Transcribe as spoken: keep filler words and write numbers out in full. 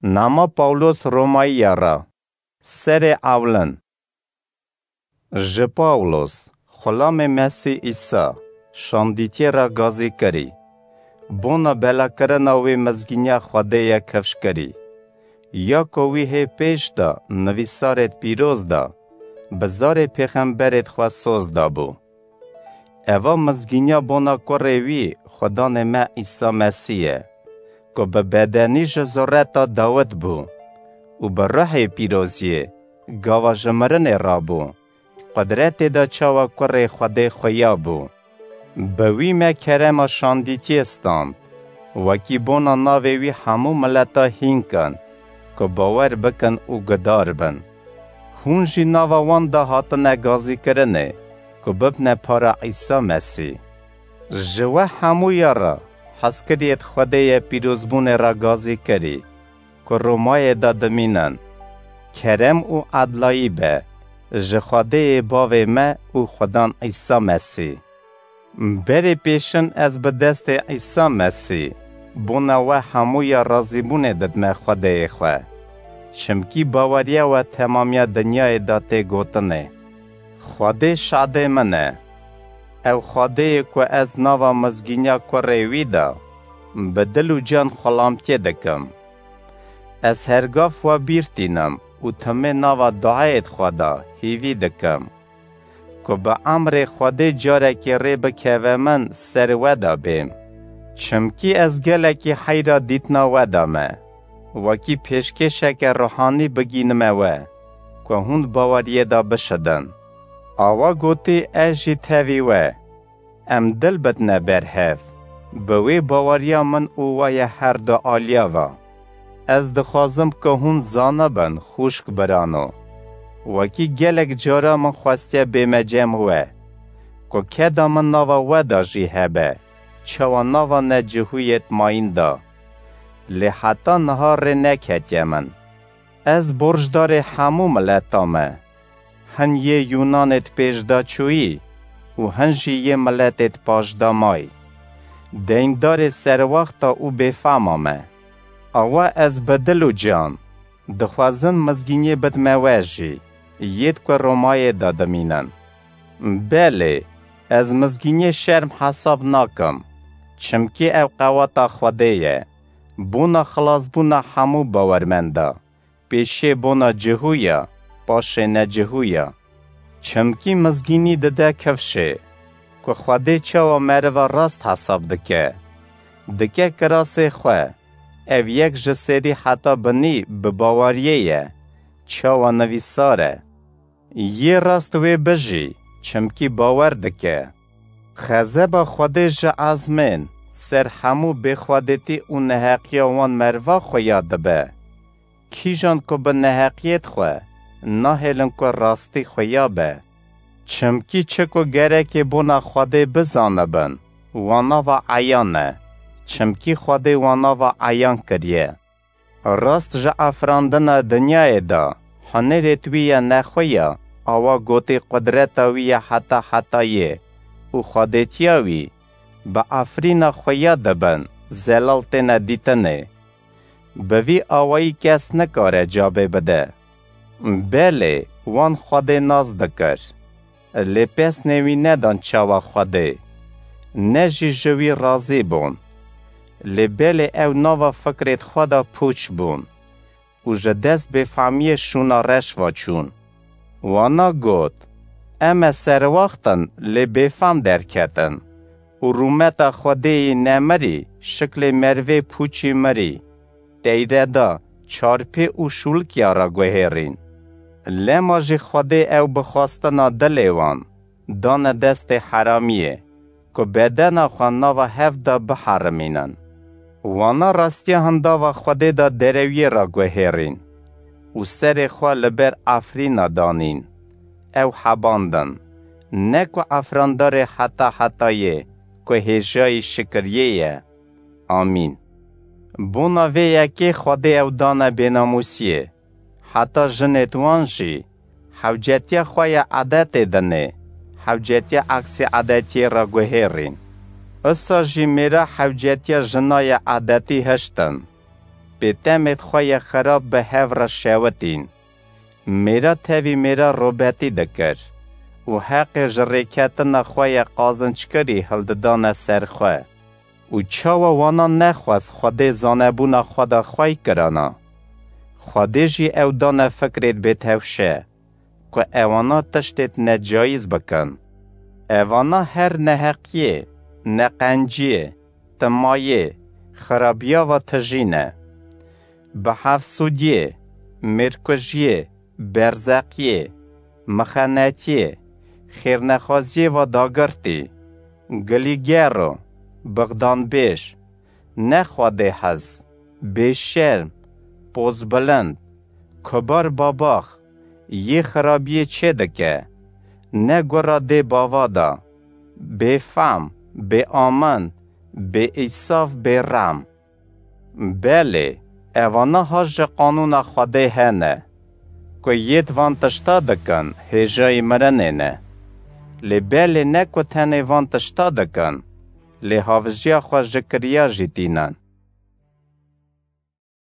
Nama Pawlos Romayiya re. Serê ewlin. Ji Pawlos, xulamê Mesîh Îsa, şandîtiyê re gazî kirî. Bona belakirina wê mizgîniya Xwedê ye kifş kirî. Ya ku wî hê pêş de nivîsarêd pîroz de, bi zarê pêxemberêd xwe soz dabû. Eva mizgîniya bona kurê wî, Xudanê me Îsa Mesîh ye, ku bi bedenî ji zureta Dawid bû û bi ruhê pîroziyê gava ji mirinê rabû, qudretê de çawa kurê Xwedê xuya bû. Bi wî me kerema şandîtiyê stand, wekî bona navê wî hemû mileta hîn kin, ku bawer bikin û gudar bin. Hûn jî nava wan de hatine gazîkirinê, ku bibne para Îsa Mesîh. Ji we hemûya re hezkiriyêd Xwedê ye pîrozbûnê re gazî kirî, ku Romayê de dimînin. Kerem û edlayî be ji Xwedêyê Bavê me û Xudan Îsa Mesîh. Berê pêşin ez bi destê Îsa Mesîh bona we hemûya razîbûnê didime Xwedêyê xwe. Çimkî baweriya we temamiya dinyayê de tê gotinê. Xwedê şadê min e. Ew Xwedêyê ku ez nava mizgîniya kurê wî de bi dil û can xulamtiyê dikim. Ez hergav we bîr tînim û timê nava duayêd xwe de hîvî dikim, ku bi emrê Xwedê carekê rê bikeve min ser we de bêm. Çimkî ez gelekî heyra dîtina we de me, wekî pêşkêşeke ruhanî bigînime we, ku hûn baweriyê de bişidin. Awa gotî ez jî tevî we. Em dil bidine ber hev, bi wê baweriya min û we ye her du aliya ve. Ez dixwazim ku hûn zanibin, xwişk birano, wekî gelek cara min xwestiye bême cem we, ku keda min nava we de jî hebe, çawa nava necihûyêd mayîn de. Lê heta niha rê neketiye min. Ez borcdarê hemû mileta me. Hin yê Yûnanêd pêşdaçûyî û hin jî yê miletêd paşdamayî. Deyndarê serwaxta û bêfama me. Awa ez bi dil û can dixwazim mizgîniyê bidime we jî, yêd ku Romayê de dimînin. Belê, ez mizgîniyê şerm hesab nakim, çimkî ew qewata Xwedê ye, bona xilasbûna hemû bawermenda. Pêşê bona cihûya, paşê necihûya. Çimkî mizgînî dide kifşê, ku Xwedê çawa meriva rast hesab dike. Dike kirasê xwe, ev yek ji serî heta binî bi baweriyê ye, çawa nivîsar e. Yê rast wê bijî, çimkî bawer dike. Xezeba Xwedê ji ezmên ser hemû bêxwedêtî û neheqiya wan meriva xuya dibe. Kîjan ku bi neheqiyêd xwe nahêlin ku rastî xuya be. Çimkî çi ku gerekê bona Xwedê bizanibin, wana ve eyan e. Çimkî Xwedê wana ve eyan kiriye. Rast ji afirandina dinyayê de hunêrêd wî ye nexweya, awa gotî qudreta wî ye heta hetayê û xwedêtiya wî bi afirîna xuya dibin, zelal têne dîtinê. Bi vî awayî kes nikare cabê bide. Belê, wan Xwedê nas dikir. Lê pesnê wî nedan çawa Xwedê, ne jî ji wî razî bûn. Lê belê ew nava fikrêd xwe de pûç bûn û ji dest bêfamiyê şûna reş ve çûn. Wana got, Em e serwaxt in, lê bêfam derketin û rûmeta Xwedêyî nemirî şiklê merivê pûçî mirî, teyreda, çarpê û şûlikya re guhêrîn. Lema jî Xwedê ew bi xwestina dilê wan dane destê heramiyê, ku bedena xwe nava hev de biherimînin. Wana rastiya hindava Xwedê de derewiyê re guhêrîn û serê xwe li ber efrîna danîn. Ew hebandin, ne ku efrandarê heta hetayê ku hêjayî şikiriyê ye. Amîn. Bona vê yekê Xwedê ew dane bênamûsiyê. Heta jinêd wan jî hewcetiya xwe ya edetê dinê, hewcetiya eksî edetiyê re guhêrîn. Usa jî mêra hewcetiya jina ya edetî hiştin. pê temêd xwe yê xirab bi hev re şewitîn. Mêra tevî mêra robetî dikir û heqê ji rêketina xwe yê qazinckerî hildidane ser xwe. Û çawa wana nexwest Xwedê zanebûna xwe de xwey kirana? Xwedê jî ew dane fikrêd bêtewşe, ku ewana tiştêd necayîz bikin. Ewana her neheqiyê, neqenciyê, timayê, xirabiya ve tijî ne. Bihefsûdiyê, mêrkujiyê, berzeqiyê, mixenetiyê, xêrnexwaziyê ve dagirtî, gilîgero, bixdanbêj, ne Xwedê hez, bêşerm, pozbilind, kubar babax, yê xirabiyê çêdike, ne gura dê bava da, bêfehm, bêamin, bêîsaf, bêrehm. Belê, evana ha ji qanûna Xwedê hene, ku yêd van tişta dikin, hêjayî mirinê ne. Lê belê ne ku tenê van tişta dikin, lê havijiya xwe ji kiriya jî tînin.